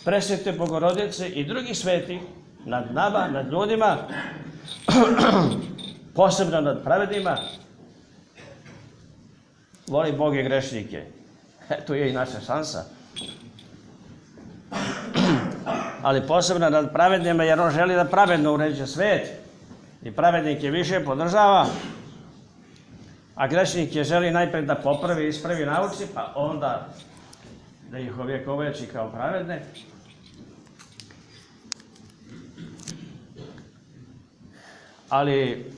Presvete Bogorodice i drugih svetih nad nama, nad ljudima, posebno nad pravednima, voli Bog i grešnike. Tu je i naša šansa. Ali posebno nad pravednima, jer on želi da pravedno uređuje svet i pravednike više podržava, a grešnike želi najpred da popravi, ispravi, nauči, pa onda da ih ovjekoveči kao pravedne. Ali,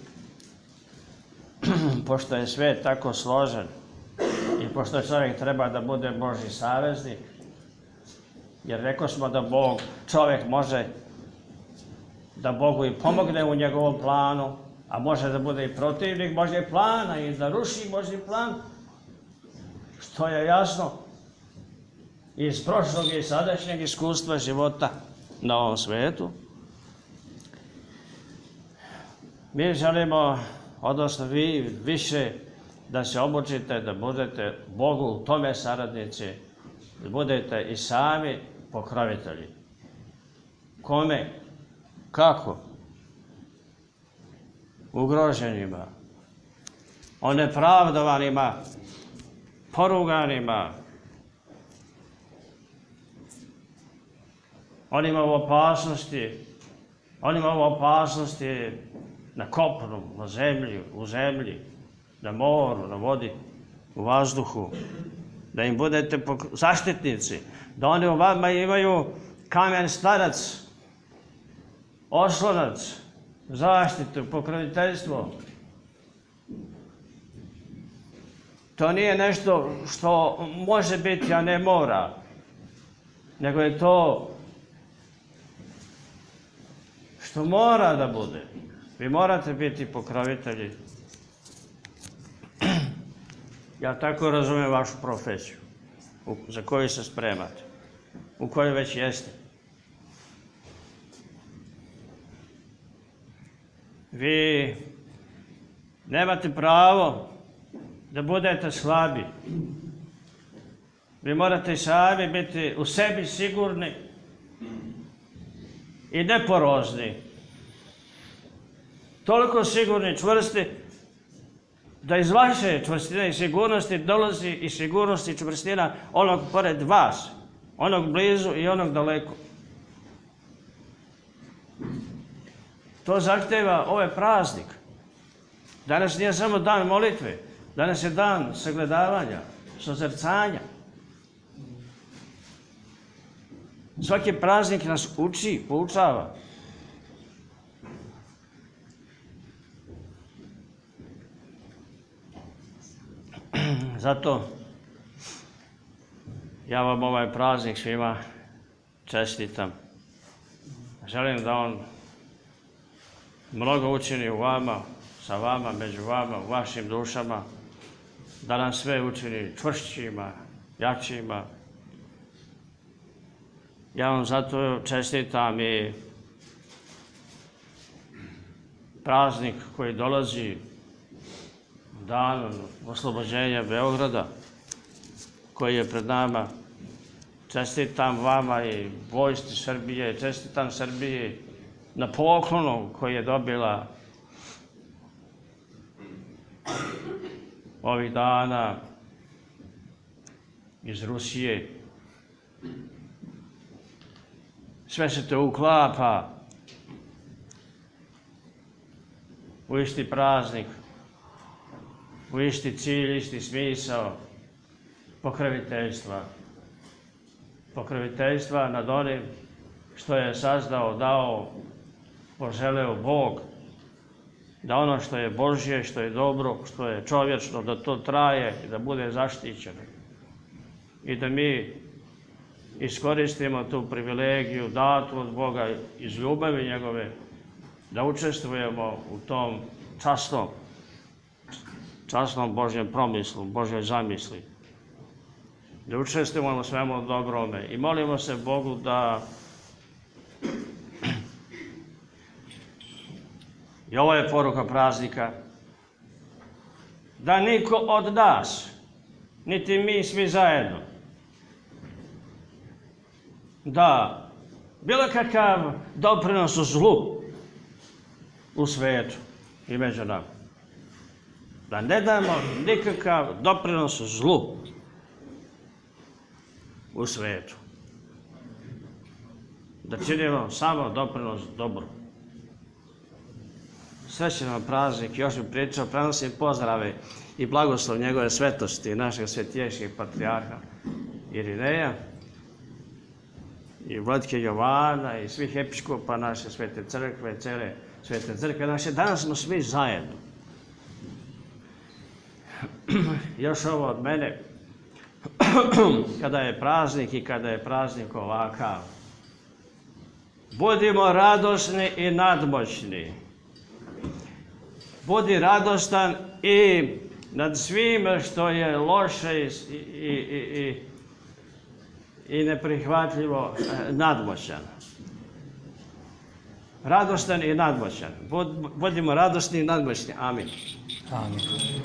pošto je svet tako složen i pošto čovjek treba da bude Božji saveznik, jer rekao smo da čovjek može da Bogu i pomogne u njegovom planu, a može da bude i protivnik Božjeg plana i da ruši Božji plan, što je jasno iz prošlog i sadašnjeg iskustva života na ovom svetu. Mi želimo, odnosno vi više da se obučite, da budete Bogu u tome saradnici, da budete i sami pokrovitelji. Kome? Kako? Ugroženima, onepravdovanima, poruganima, onima u opasnosti na kopnu, na zemlji, u zemlji, na moru, na vodi, u vazduhu, da im budete zaštitnici, da oni u vama imaju kamen starac, oslonac, zaštitu, pokroviteljstvo. To nije nešto što može biti, a ne mora, nego je to što mora da bude. Vi morate biti pokrovitelji. Ja tako razumijem vašu profesiju, za koju se spremate, u kojoj već jeste. Vi nemate pravo da budete slabi. Vi morate sami biti u sebi sigurni i neporozni. Toliko sigurni, čvrsti, da iz vaše čvrstine i sigurnosti dolazi i sigurnost i čvrstina onog pored vas, onog blizu i onog daleko. To zahteva ovaj praznik. Danas nije samo dan molitve, danas je dan sagledavanja, sozrcanja. Svaki praznik nas uči, poučava. Zato ja vam ovaj praznik svima čestitam. Želim da on mnogo učini u vama, sa vama, među vama, u vašim dušama, da nam sve učini čvršćima, jačima. Ja vam zato čestitam i praznik koji dolazi dan oslobođenja Beograda, koji je pred nama. Čestitam vama i vojsci Srbije, čestitam Srbiji na poklonu koji je dobila ovih dana iz Rusije. Sve se to uklapa u isti praznik, u isti cilj, isti smisao pokroviteljstva. Pokroviteljstva nad onim što je sazdao, dao, poželeo Bog, da ono što je Božje, što je dobro, što je čovječno, da to traje i da bude zaštićeno. I da mi iskoristimo tu privilegiju datu od Boga iz ljubavi njegove, da učestvujemo u tom časnom Božjem promislu, Božjoj zamisli. Da učestvujemo u svemu dobrome i molimo se Bogu da i ovo je poruka praznika, da niko od nas, niti mi svi zajedno, da bilo kakav doprinos u zlu u svetu i među nama. Da ne damo nikakav doprinos u zlu u svetu. Da činimo samo doprinos dobru. Srećan vam praznik, još bih pričao, prenosim pozdrave i blagoslov njegove svetosti i našeg svetijeških patrijarha Irineja i vladike Jovana i svih episkopa naše svete crkve, cele svete crkve naše. Danas smo svi zajedno. Još ovo od mene, kada je praznik i kada je praznik ovakav, budimo radosni i nadmoćni. Budi radostan i nad svime što je loše i neprihvatljivo nadmoćan. Radostan i nadmoćan. Budimo radosni i nadmoćni. Amin. Amin.